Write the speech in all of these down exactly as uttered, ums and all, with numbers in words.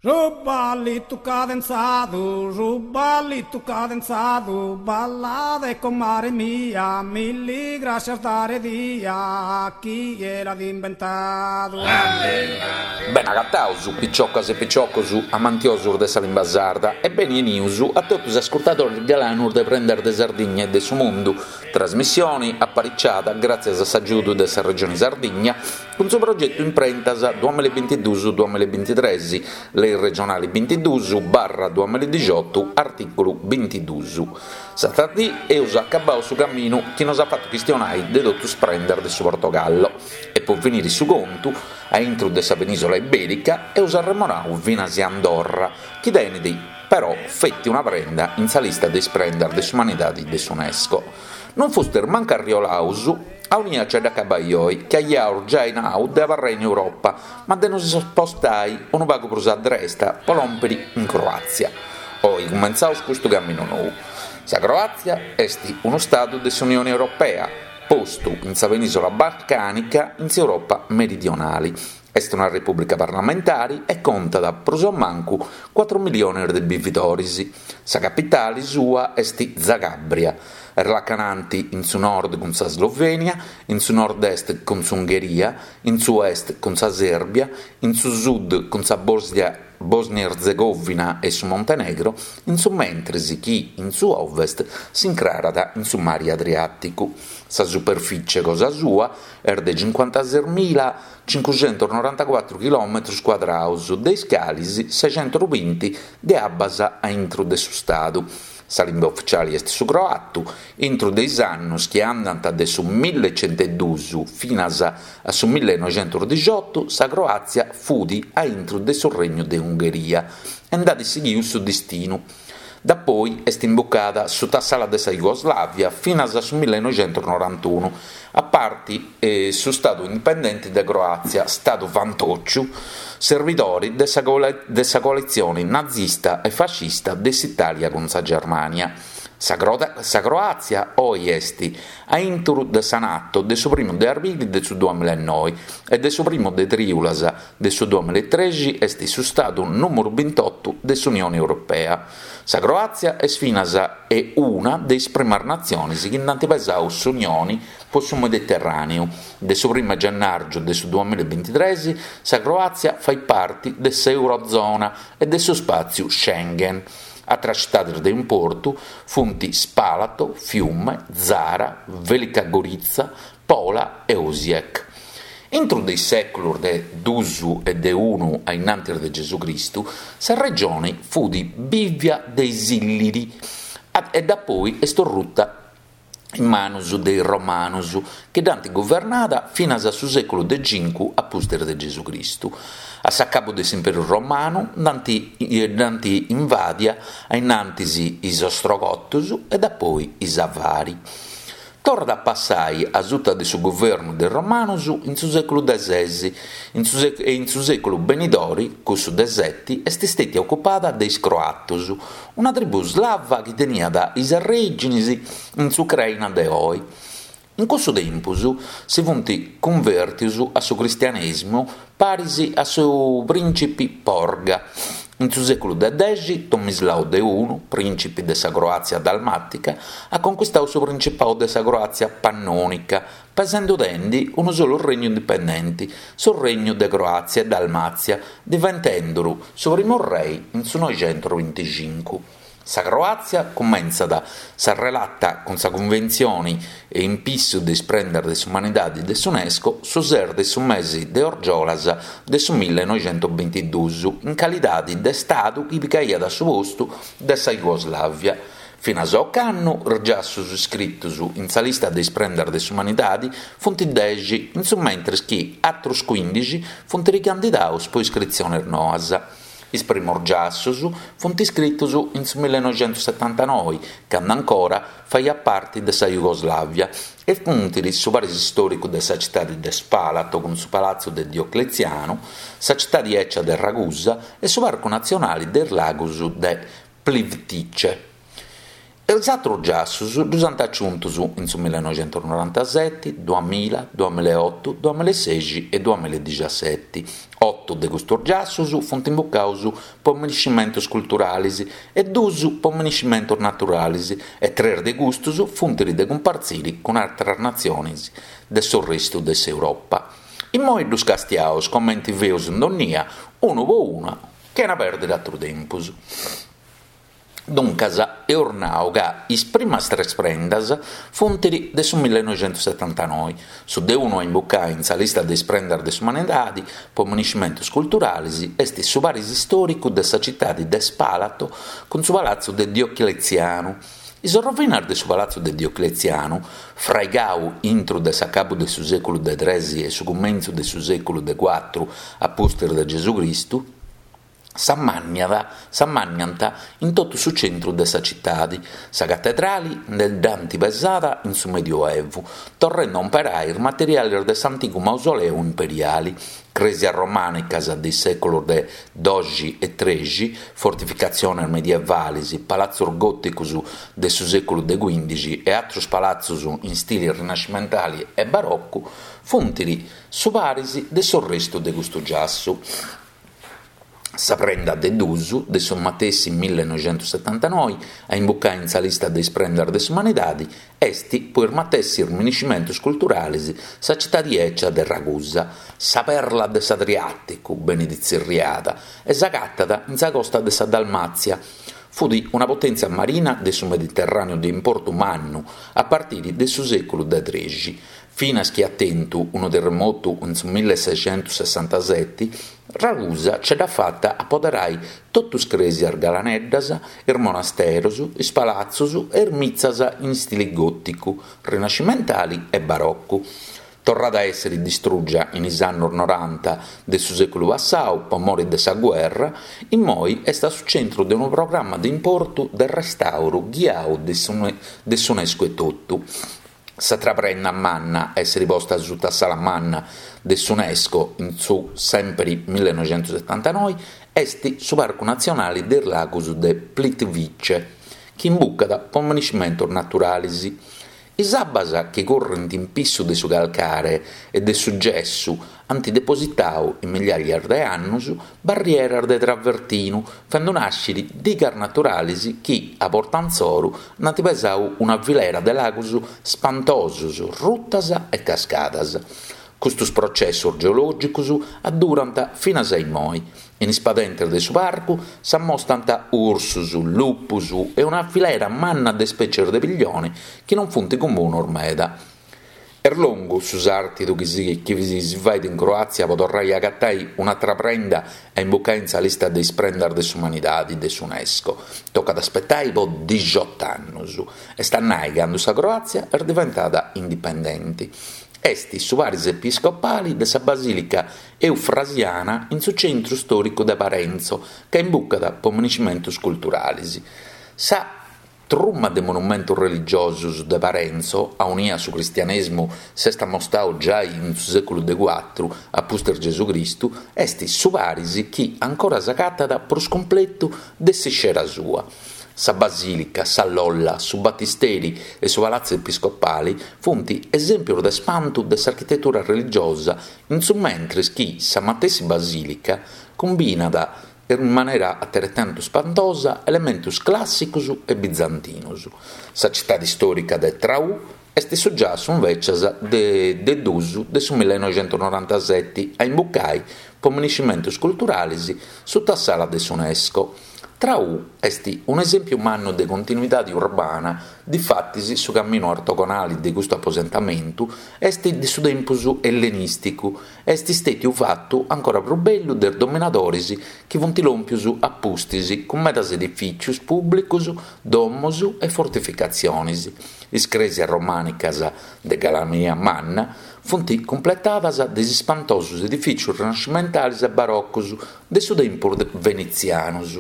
Su ballitu cadenzadu, su ballitu cadenzadu, ballade comare mia, milli grascias dare dia, chie l'at imbentadu. Bene agataus, piciocas e piciocos amantiosos de sa limba sarda e beni 'enius a totu is ascurtadores galanos de Prendas de Sardigna e de su Mundu, trasmissione apariciada gràtzias a s'agiudu de sa Regione Sardigna cun su progetu Imprentas duamilla e bintiduus duamilla e bintitres, Lei regionali bintiduus barra duamilla e dixiotu, artìculu bintiduus. S'atra dì eus acabau su caminu chi nos at fatu chistionai de totu is prendas de su Portogallo e po finiri su contu, a intru de sa penìsula ibèrica eus arremonau finas Andorra, chi tenit però feti una prenda in sa lista de is prendas de s'umanidadi de s'Unesco. Non fustis mancu arriolaus aunia nce dd'acabai oi, chi aiaus giai nau de abarrai in Europa, ma de nos spostai unu pagu prus a dresta po lòmpiri in Croàtzia. Oi cumentzaus custu caminu nou. Sa Croàtzia est unu stadu de s'Unioni Europea, postu in sa penìsula balcànica in s'Europa meridionali. Est una repùblica parlamentari e contat prus o mancu cuatru milliones de bividores. Sa capitale sua est Zagabria. Est lacanante in su nord cun sa Slovènia, in su nord-est cun s'Ungheria, in su est cun sa Sèrbia, in su sud cun sa Bòsnia Bòsnia-Ertzegòvina e su Montenegro, in su mentres chi in su ovest s'incrarat in su mari Adriàticu. Sa superfìtzie cosa sua est de cincuantases mila cincuxentos norantacuatru chilòmetros cuadrados, de is cales sescentos binti de abbas a intro de su stadu. Sa limba ufitziale est su croatu. Intro de is annos chi andant de su millecentoduus finas a su millenoixentos sa Croàtzia fut a intro de su Regnu de Ungheria e nd'at sighidu su destinu. Dapoi est imbucada suta s'ala de sa Jugoslàvia finas a su millenoixentos norantunu, a parti eh, su Stadu indipendente de Croàtzia, Stadu fantòciu, serbidore de sa, de sa coalitzione nazista e fascista de s'Itàlia cun sa Germània. Sa, sa Croàtzia oi est a intro de sa Nato de su primu de arbili de su duamilla e noi e de su primu de trìulas de su duamilla e trexi est su Stadu nùmeru bintotu de s'Unione Europea. Sa Croàtzia est finas e una de is primas natziones chi nd'ant pesadu s'Unione po su Mediterràneu. De su primu de gennàrgiu de su duamilla e bintitrès sa Croàtzia fait parte de s'Eurozona e de su spàtziu Schengen. Atras citades de importu funt Spalato, Fiume, Zara, Velika Gorica, Pola e Osijek. Intro de is sèculos de dus e de unu a innantis de Gesù Cristu, sa regione fut bìvia de is Illiri e dapoi est orruta in manos de is Romanos, chi dd'ant guvernada finas a su sèculu de cincu a pustis de Gesù Cristu. A s'acabu de s'Imperu Romanu dd'ant invàdia a innantis is Ostrogotos e dapoi is Avari. Torrat a passai a suta de su guvernu de is Romanos in su sèculu de ses e in su sèculu benidore, cussu de sete, est istètia ocupada de is Croatos, una tribù slava chi teniat is arrèigines in s'Ucraina de oe. In cussu tempus si funt cunvèrtidos a su cristianèsimu paris a su prìncipe Porga. In su sèculu de dexi, Tomislao de unu, prìncipe de sa Croàtzia dalmàtica, at conchistadu su principadu de sa Croàtzia pannònica, pesende unu solu regnu indipendente, su Regnu de Croàtzia e Dalmàtzia, diventende su primu re in su noixentos binticincu. Sa Croàtzia cumentzat sa relata cun sa Cunventzione in pissu de is prendas de s'umanidade de s'UNESCO su ses de su mese de Orgiolas de su millenoixentos bintiduus, in calidade de Stadu chi picaiat su postu de sa Jugoslàvia. Finas a ocannu, is giassos iscritos in sa lista de is prendas de s'umanidade funt dexi, in su mentres chi àteros cuindixi funt ricandidados pro iscritziones noas. Is primos giassos funt iscritos in su millenoixentos setantanoe, cando ancora faiat parte de sa Jugoslàvia, e funt su paris istòricu de sa citade de Spalato cun su Palatzu de Diocleziano, sa citade ecia de Ragusa e su Parcu Natzionale de is Lagos de Plitvice. Is atrus giassus ddus ant aciuntus in su millinoixentusnorantaseti, duamilla, duamillaeotu, duamillaesexi e duamilladixaseti. Otu de custus giassus funt imbucaus po minescimentus culturalis e duus po minescimentus naturalis e tres de custus funt de cumpartziri cun atras natzionis de s'orrestu de s'Europa. Immoi ddus castiaus comenti feus in dònnia, unu po unu, chena pèrdiri atru tempus. Duncas, eus nau ca is primas tres prendas funt de su millinoixentussetantanoi. Su de unu a imbucai in sa lista de is prendas de s'umanidadi po minescimentus culturalis est su paris istòricu de sa citadi de Spalato cun su palatzu de Diocletzianu. Is orrovinas de su palatzu de Diocletzianu, fraigau intru de s'acabu de su sèculu de tres e su cumentzu de su sèculu de cuatru a pustis de Gesù Cristu, s'ammànniant in totu su centru de sa citadi. Sa catedrali nde dd'ant pesada in su Medioevu, torrende a umperai is materiales de s'antigu mausoleu imperiali. Crèsias romànicas de is sèculos de doxi e trexi, fortificatziones medievales, palatzos gòticos de su sèculu de cuìndixi e àteros palatzos in stile rinascimentale e barocu funt su paris de s'orrestu de custu giassu. Sa prenda de duus, de su matessi millinoixentussetantanoi, a imbucai in sa lista de is prendas de s'umanidadi, est, po is matessis minescimentus culturales, sa citadi 'ecia de Ragusa, sa perla de s'Adriàticu, benit tzerriada, e s'agatat in sa costa de sa Dalmàtzia. Fut una potèntzia marina de su Mediterràneu de importu mannu a partire de su sèculu de trexi. Finas chi at tentu unu terremotu in su milleseixentusessantaseti, Ragusa ce dd'at fata a poderai totu is crèsias galaneddas, is monasteros, is palatzos e is mitzas in stile gòticu, rinascimentale e barocu. Torrada a èssere distrùgia in is annos noranta de su sèculu passau po more de sa guerra, immoi est a su centru de unu programma de importu de restàuru ghiau de s'UNESCO etotu. S'atra prenda manna a èssere posta suta s'ala manna de s'UNESCO in su sèmpere millinoixentussetantanoi est su Parcu Natzionale de is Lagos de Plitvice, chi imbucat po minescimentos naturales. Is abbas chi current in pissu de su calcare e de su gessu ant depositadu in migliàrias de annos barrieras de travertinu, fende nàschere digas naturales chi, a borta issoro, nd'ant pesadu una filera de lagos ispantosos, rutas e cascadas. Custos processos geològicos addurant finas a immoi. In is padentes de su parcu s'ammostrant ursos, lupos e una filera manna de spècies de pillione chi non funt comunos meda. Est longu su sàrtidu chi si, chi si fait in Croàtzia po torrai a agatai un'atra prenda a imbucai in sa lista de is prendas de s'umanidadi de s'UNESCO. Tocat a aspetai po dixiotu annos. Est a nai cando sa Croàtzia est diventada indipendente. Est su paris episcopale de sa Basìlica Eufrasiana in su centru istòricu de Parenzo, chi imbucat po minescimentos culturales. Sa truma de monumentos religiosos de Parenzo, aunia su cristianèsimu s'est ammostradu giai in su sèculu de cuatru a pustis Gesù Cristu, est su paris chi ancora s'agatat prus cumpletu de s'iscera sua. Sa Basìlica, sa Lolla, su Battisteri e su Palazzo Episcopale funt esèmpios de spantu de s'architetura religiosa, in su mentres chi sa matessi Basìlica cumbinat in manera ateretantu spantosa elementos clàssicos e bizantinos. Sa citade istòrica de Traù est su giassu invecias de, de duus de su millinoixentusnorantaseti a imbucai po minescimentos culturales suta s'ala de s'UNESCO. Traù est un'esèmpiu mannu de continuidade urbana, difatis su caminu ortogonale de custu aposentamentu est de su tempus ellenìsticu e est istètiu fatu ancora prus bellu de is dominadores chi funt lòmpios a pustis cun medas edifìtzios pùblicos, domos e fortificatziones. Is crèsias romànicas de galania manna funt cumpletadas de is ispantosos edifìtzios rinascimentales e barocos de su tempus venetzianos.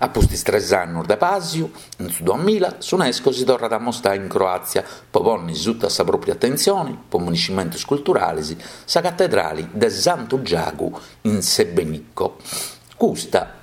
A pustis tres annos de pàsiu, in su duamilla, s'UNESCO si torrat a ammostrare in Croàtzia po pònnere suta sa pròpia atentzione, po minescimentos culturales, sa catedrale de Santu Giagu in Sebenico. Custa,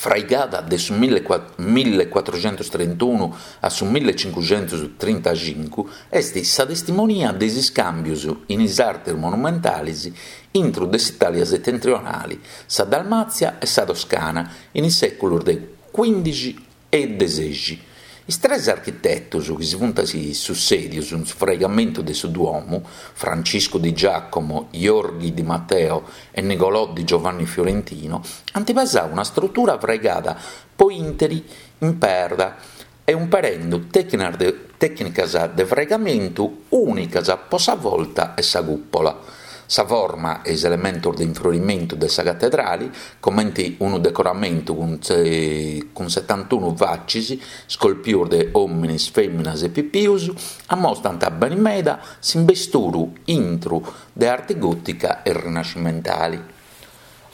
Fraigada de su millecuatruxentus trintunu a su millecincuxentus trintacincu, est sa testimonia de is iscàmbios in is artes monumentales intre de s'Itàlia setentrionale, sa Dalmàtzia e sa Toscana in is sèculos de cuìndixi e de sèixi. Is tres architetos chi si sunt sutzèdidos in su fraigamentu de su Duomo, Francisco di Giacomo, Jorghi di Matteo e Nicolò di Giovanni Fiorentino, ant pesadu una istrutura fraigada pro interu in perda e impreende tècnicas de fraigamentu ùnicas pro sa volta e sa cùpula. Sa forma e is elementos de infrorimentu de sa catedrale, comente unu decoramentu cun setantunu fatzes isculpidas de òmines, fèminas e pipios, ammostrant bene meda s'immisturu intre de arte gòtica e rinascimentale.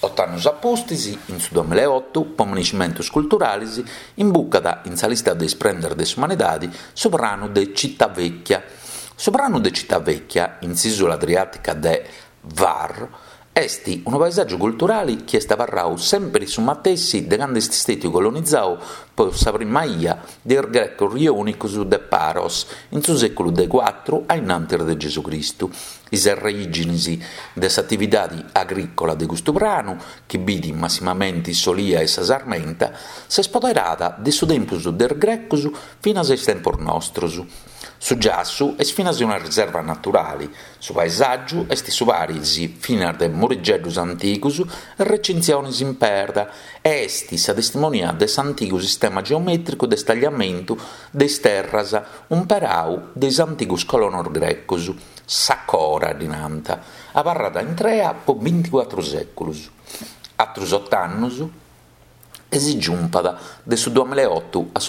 Oto annos a pustis, in su duamilla e oto, pro minescimentos culturales, imbucat in sa lista de is prendas de s'umanidade su pranu de Civitavecchia. Su pranu de Civitavecchia, in s'ìsula adriàtica de Hvar, est unu paesàgiu culturale chi est abarradu semper su matessi de cando est istadu colonizadu pro sa prima bia dae is grecos iònicos de Paros in su sèculu de cuatru a in antis de Gesù Cristu. Is raighinas de s'atividade agrìcola de custu pranu, chi bidet massimamente s'olia e sa sarmenta, s'est poderada de su tempus de is grecos finas a is tempos nostros. Su giassu est finas una riserva naturale. Su paesàgiu est su paris finas de murigeddos antigos e recintziones in perda e est sa testimonia de s'antigu sistema geomètricu de istagliamentu de is terras impreadu dae is antigos colonos grecos, sa cora ddi narant, abarrada intrea pro binticuatro sèculos. Àteros oto annos e si giumpat de su duamilla e oto a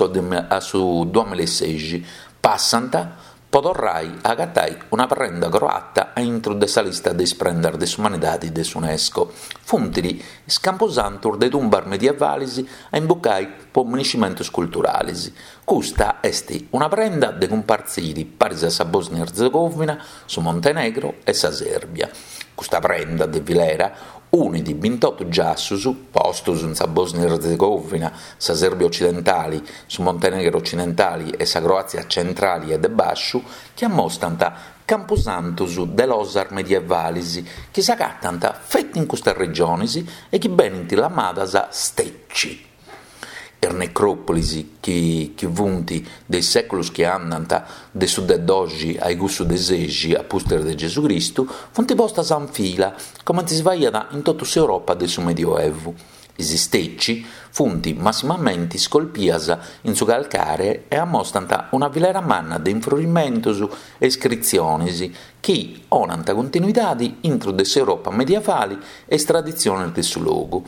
su duamilla e sèixi, passant pro torrare a agatare una prenda croata a intro de sa lista de is prendas de s'umanidade de s'UNESCO. Sunt is campusantos de tumbas medievales a imbucare pro minescimentos culturales. Custa est una prenda de cumpartzire paris a sa Bòsnia-Ertzegòvina, su Montenegro e sa Sèrbia. Custa prenda de filera unit bintoto giassos postos in sa Bòsnia-Ertzegòvina, sa Sèrbia otzidentale, su Montenegro otzidentale e sa Croàtzia tzentrale e de bàsciu, chi ammostrant campusantos de losas medievales chi s'agatant feti in custas regiones e chi benint lamadas "stećci". Is necròpolis chi chi funt de is sèculos chi andant de su de dòixi a cussu de sèixi a pustis de Gesù Cristu funt postas in fila, comente si faghiat in totu s'Europa de su Medioevu. Is stećci funt massimamente isculpias in su calcare e ammostrant una filera manna de infrorimentos e iscritziones chi donant continuidade intre de s'Europa medievale e is traditziones de su logu.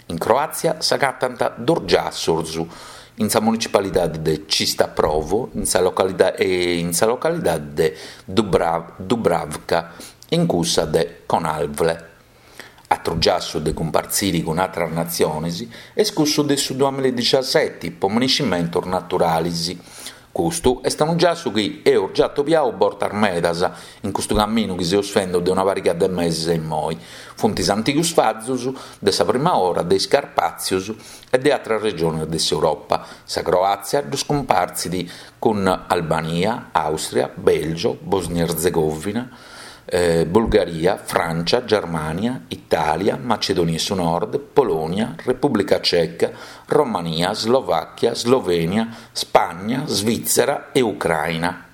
In Croàtzia s'agatant duos giassos in sa municipalidade de Čista Provo in sa localidade, in sa localidade de Dubravka e in cussa de Konavle. Àteru giassu de cumpartzire cun àteras natziones est cussu de su duamilla e diciasete pro minescimentos naturales. Custu est unu giassu chi eus già atobiadu bortas medas in custu caminu chi seus fende de una pariga de meses a immoi. Funt is antigos fazos de sa prima ora de is Carpàtzios e de àteras regiones de s'Europa. Sa Croàtzia ddos cumpartzit cun Albania, Àustria, Bèlgio, Bòsnia-Ertzegòvina, eh, Bulgaria, Frància, Germània, Itàlia, Macedònia de su Nord, Polònia, Repùblica Ceca, Romania, Slovàchia, Slovènia, Spagna, Svìtzera e Ucraina.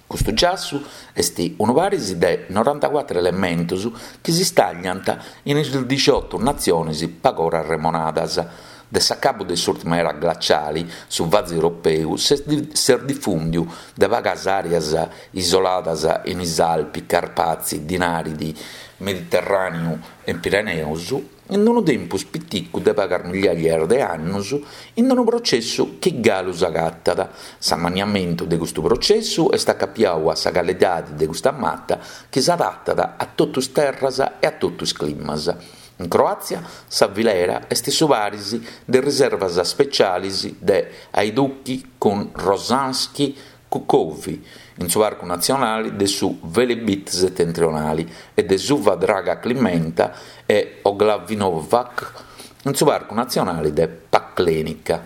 Custu giassu est unu paris de norantacuatro elementos chi si istagliant in is diciotto natziones pagora arremonadas. De s'acabu de s'ùrtima era glaciale, su vasu europeu s'est difùndidu de pagas àreas isoladas in is Alpi, Carpazi, Dinaridi, Mediterràneu e Pireneos, in unu tempus piticu de pagas migliaia de annos, in unu protzessu chi galu s'agatat. S'ammaniamentu de custu protzessu est acapiadu a sa calidade de custa mata chi s'adatat a totu is terras e a totu is climas. In Croàtzia sa filera est su paris de riservas ispetziales de Hajduki cun Rožanski Kukovi, in su Parcu Natzionale de su Velebit setentrionale, e de Suva Draga Klimenta e Oglavinovac in su Parcu Natzionale de Paklenica.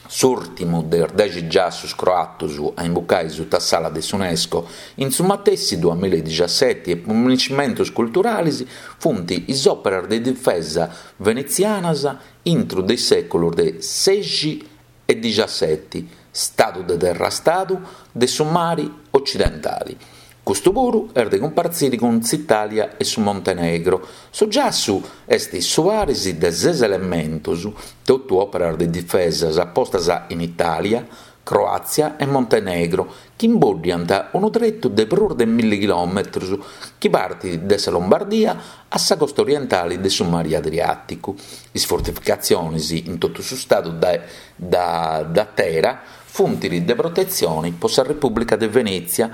S'ùrtimu de is dexi giassus croatus a imbucai suta s'ala de s'UNESCO in su matessi duamilla e diciaseti e po monumentos culturales funt is òperas de difesa venetzianas intro de is sèculos de sexi e diciaseti, stadu de terra stadu de su mare occidentale. Custu puru est de cumpartzire cun s'Itàlia e su Montenegro. Su giassu est su paris de ses elementos, totu òperas de difesa postas in Itàlia, Croàtzia e Montenegro, chi imboddiant unu tretu de prus de milli chilòmetros chi partit de sa Lombardia a sa costa orientale de su Mare Adriàticu. Is fortificatziones in totu su stadu da, da, da Tera funt de protetzione pro sa Repùblica de Venètzia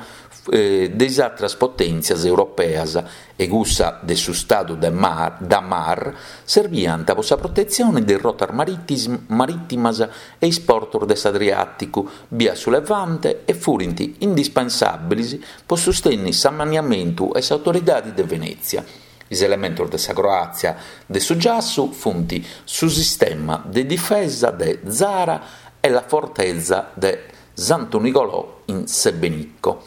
eh, de is atras potèntzias europeas e cussa de su Stadu de Mar, da Mar serviant pro sa protetzione de rotas maritis, marìtimas e is portos de s'Adriàticu, bia su Levante e furint indispensàbiles pro sustennere s'ammaniamentu e s'autoridade de Venètzia. Is elementos de sa Croàtzia de su giassu funt su sistema de difesa de Zara e la fortezza de Santo Nicolò in Sebenico.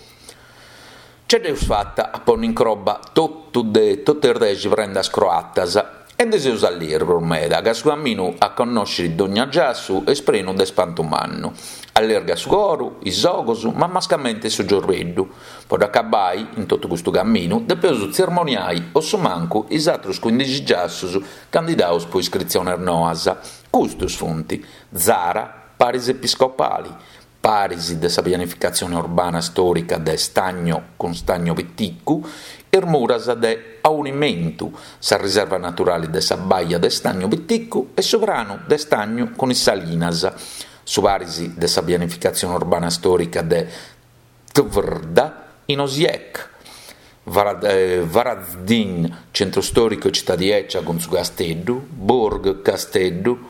Ce dd'eus fata a ponni in croba totu de totu is dexi prendas croatas e ndi seus allirgus meda ca su camminu a connoscere dogna giassu est prenu de spantu mannu. Allirga su coru, is ogus, ma mascamente su ciorbeddu. Po dd'acabai, in totu custu camminu, depeus tzermoniai o su mancu is atrus quindixi giassus candidaus po iscritziones noas. Custus funt Zara, Paris Episcopali, Paris de sa pianificatzione urbana storica de Stagno cun Stagno Piticu, is muras de Aunimentu, sa riserva naturale de sa Baia de Stagno Piticu e su pranu de Stagno cun is Salinas, su Paris de sa pianificatzione urbana storica de Tvrda in Osijek, Varazdin, centro storico e città di Eccia con su Casteddu, Burg Casteddu,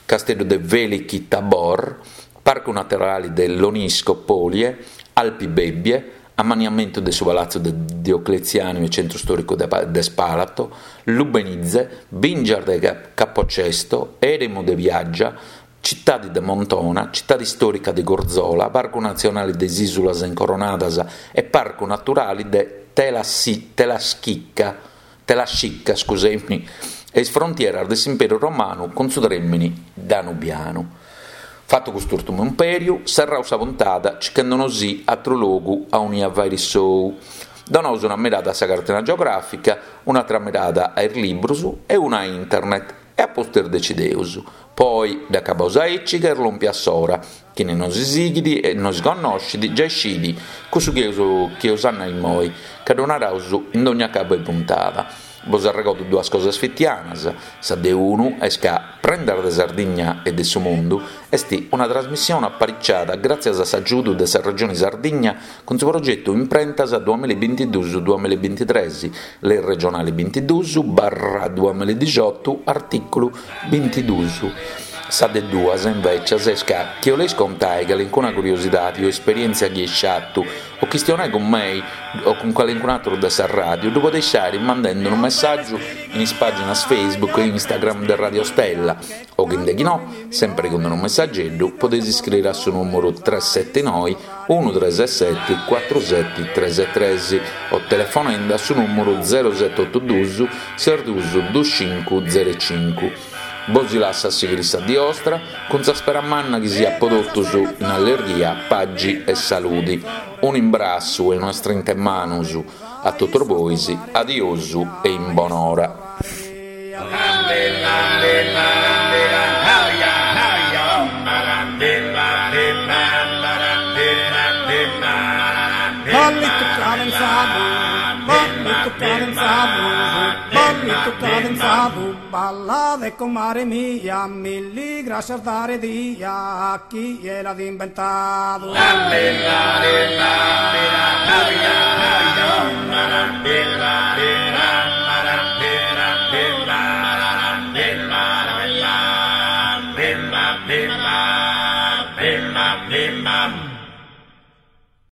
Casteddu de Veliki Tabor, Parco Naturale dell'Onisco Polie, Alpi Bebbie, ammaniamento de su Palazzo de Diocleziano e centro storico de, de Spalato, Lubenice, Bingiar de Capocesto, Eremo de Viaggia, Città de Montona, Città storica di Gorzola, Parco Nazionale des Isulas Incoronadas e Parco Naturale de Telassi, Telaschicca, Telascicca, scusami, e is frontieras de s'Imperio Romano con su tremini danubiano. Fatto quest'ultimo imperio, serrau sa puntata, cercandonosì altro luogo a ogni avvari sou. Donos una mirata a sa cartina geografica, un'altra mirata ai libros e una a internet, e a poster decideus. Poi, da cabosa aici che erlompi a sora, chi ne non si sighidi e non si conoscidi, già scidi, così che che osanna in moi, che donarausu in ogni capo e puntata. Vos arregodo duas cosas fittianas, sa de unu est ca Prendar de Sardigna e de su Mundu est una trasmissione apparicciata grazie a s'aggiudu de sa Regione Sardigna con su progetto Imprentas duemilaventidue duemilaventitré, le regionali ventidue barra duemiladiciotto, articolo ventidue. Sa de duas, invece, est ca chi oleis contai calincuna curiosidade o esperienza chi sciattu o chistionai con me o con qualcun altro de sa radio, ddu podeis fare mandando un messaggio in is paginas Facebook e Instagram del Radio Stella o chi no, sempre con un messaggetto, potete iscrivere al suo numero tre sette nove uno tre sette quattro sette tre tre o telefonando al suo numero zero sette otto due sei due due cinque zero cinque. Bosi lassa sigrissa di ostra, con sa speramanna che sia prodotto su in allergia, paggi e saluti. Un imbrasso e una strinta in mano su a tutto boisi, adiosu e in buon'ora. Ballito cadenzado, balla de comare mia, mil gracias dare dia a chi era inventado.